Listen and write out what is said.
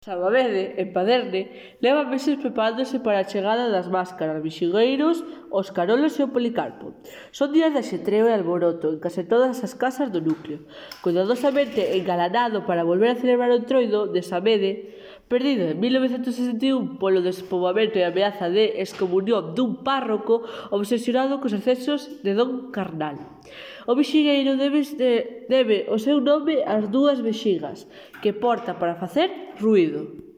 Sabadell, en Paderne, leva meses preparándose para a chegada das máscaras, bixigueiros, os carolos e o Policarpo. Son días de axetreo e alboroto en case todas as casas do núcleo, cuidadosamente engalanado para volver a celebrar o Entroido de Samede, perdido en 1961 polo despoboamento e ameaza de excomunión dun párroco obsesionado cos excesos de don Carnal. O bixigueiro debe o seu nome ás dúas vexigas que porta para facer ruído.